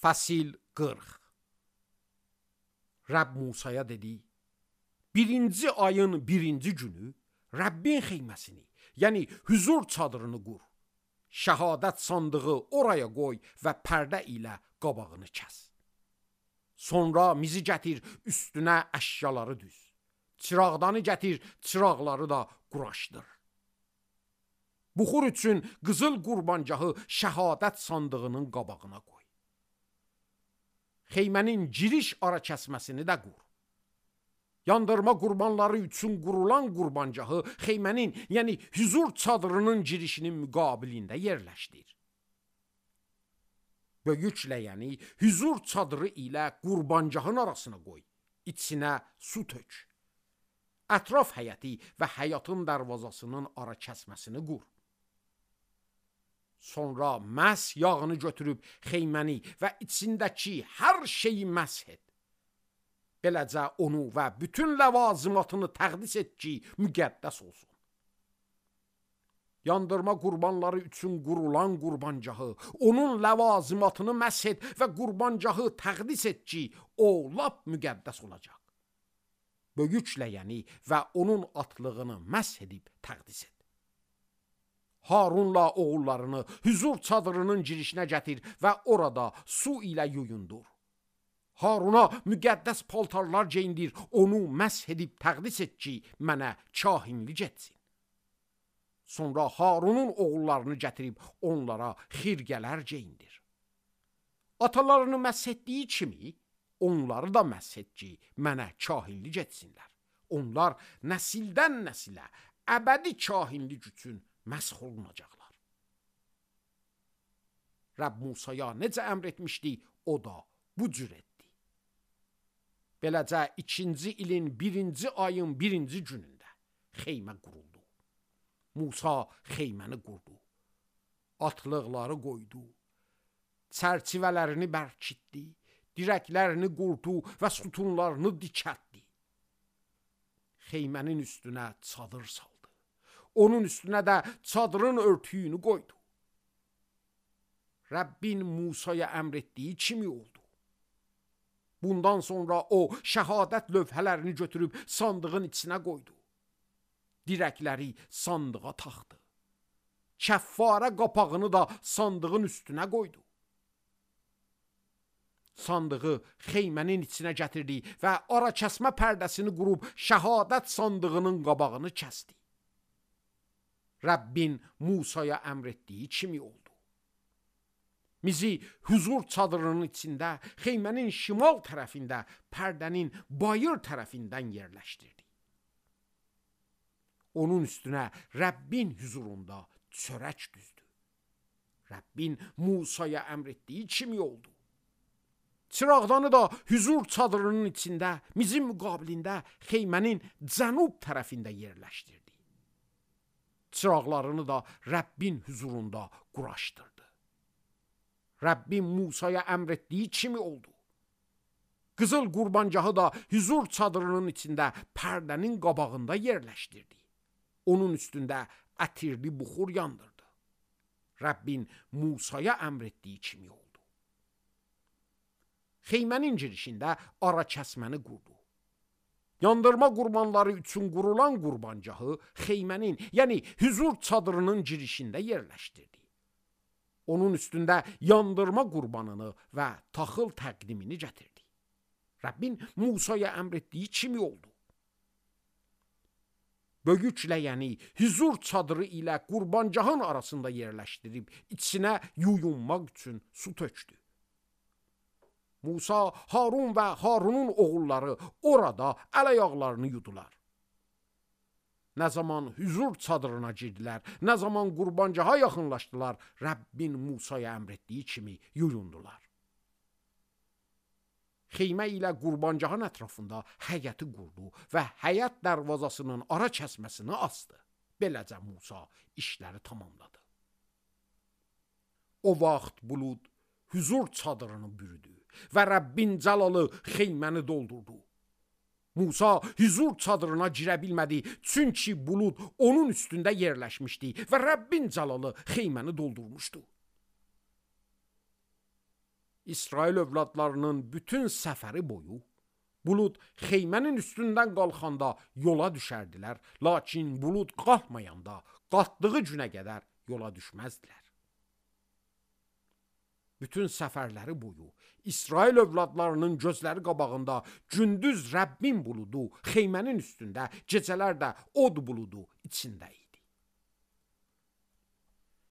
Fəsil 40. Rəbb Musaya dedi: birinci ayın birinci günü Rəbbin xeyməsini, yəni hüzur çadırını qur. Şəhadət sandığı oraya qoy və pərdə ilə qabağını kəs. Sonra mizi gətir, üstünə əşyaları düz. Çıraqdanı gətir, çıraqları da quraşdır. Buxur üçün qızıl qurbancahı şəhadət sandığının qabağına qoy. Xeymənin giriş ara kəsməsini də qur. Yandırma qurbanları üçün qurulan qurbancahı xeymənin, yəni hüzur çadırının girişinin müqabilində yerləşdir. Böyüklə, yəni hüzur çadırı ilə qurbancahın arasına qoy. İçinə su tök. Ətraf həyəti və həyatın dərvazasının ara kəsməsini qur. Sonra məs yağını götürüb xeyməni və içindəki hər şeyi məsh et. Beləcə onu və bütün ləvazimatını təqdis et ki, müqəddəs olsun. Yandırma qurbanları üçün qurulan qurbancahı, onun ləvazimatını məsh et və qurbancahı təqdis et ki, o lap müqəddəs olacaq. Böyüklə, yəni və onun atlığını məsh edib təqdis et. Harunla oğullarını hüzur çadırının girişinə gətir və orada su ilə yuyundur. Haruna müqəddəs paltarlar geyindir, onu məsh edib təqdis et ki, mənə kahinlik etsin. Sonra Harunun oğullarını gətirib onlara xirqələr geyindir. Atalarını məsh etdiyi kimi, onları da məsh et ki, mənə kahinlik etsinlər. Onlar nəsildən nəsilə əbədi kahinlik üçün məsh olunacaqlar. Rəbb Musaya necə əmr etmişdi, o da bu cür etdi. Beləcə ikinci ilin birinci ayın birinci günündə xeymə quruldu. Musa xeyməni qurdu. Atlıqları qoydu. Çərçivələrini bərkitdi. Dirəklərini qurdu və sütunlarını dikəltdi. Xeymənin üstünə çadır saldı. Onun üstünə də çadırın örtüyünü qoydu. Rəbbin Musaya əmr etdiyi kimi oldu. Bundan sonra o şəhadət lövhələrini götürüb sandığın içinə qoydu. Dirəkləri sandığa taxdı. Kəffarə qapağını da sandığın üstünə qoydu. Sandığı xeymənin içinə gətirdi və ara kəsmə pərdəsini qurub şəhadət sandığının qabağını kəsdi. Rəbbin Musaya əmr etdiyi kimi oldu. Mizi hüzur çadırının içində, xeymənin şimal tərəfində, pərdənin bayır tərəfindən yerləşdirdi. Onun üstünə Rəbbin hüzurunda çörək düzdü. Rəbbin Musaya əmr etdiyi kimi oldu. Çıraqdanı da hüzur çadırının içində, mizin müqabilində xeymənin cənub tərəfində yerləşdirdi. Çıraqlarını da Rəbbin hüzurunda quraşdırdı. Rəbbin Musaya əmr etdiyi kimi oldu. Qızıl qurbancahı da hüzur çadırının içində pərdənin qabağında yerləşdirdi. Onun üstündə ətirli buxur yandırdı. Rəbbin Musaya əmr etdiyi kimi oldu. Xeymənin girişində ara kəsməni qurdu. Yandırma qurbanları üçün qurulan qurbancahı xeymənin, yəni hüzur çadırının girişində yerləşdirdi. Onun üstündə yandırma qurbanını və taxıl təqdimini gətirdi. Rəbbin Musaya əmr etdiyi kimi oldu. Böyüklə, yəni hüzur çadırı ilə qurbancahın arasında yerləşdirib içinə yuyunmaq üçün su tökdü. Musa, Harun və Harunun oğulları orada əl-ayaqlarını yudular. Nə zaman hüzur çadırına girdilər, nə zaman qurbancaha yaxınlaşdılar, Rəbbin Musaya əmr etdiyi kimi yuyundular. Xeymə ilə qurbancahın ətrafında həyəti qurdu və həyət dərvazasının ara kəsməsini asdı. Beləcə Musa işləri tamamladı. O vaxt bulud hüzur çadırını bürüdü və Rəbbin cəlalı xeyməni doldurdu. Musa hüzur çadırına girə bilmədi, çünki bulud onun üstündə yerləşmişdi və Rəbbin cəlalı xeyməni doldurmuşdu. İsrail övladlarının bütün səfəri boyu bulud xeymənin üstündən qalxanda yola düşərdilər, lakin bulud qalxmayanda qalxdığı günə qədər yola düşməzdilər. Bütün səfərləri boyu İsrail övladlarının gözləri qabağında gündüz Rəbbin buludu xeymənin üstündə, gecələr də od buludu içində idi.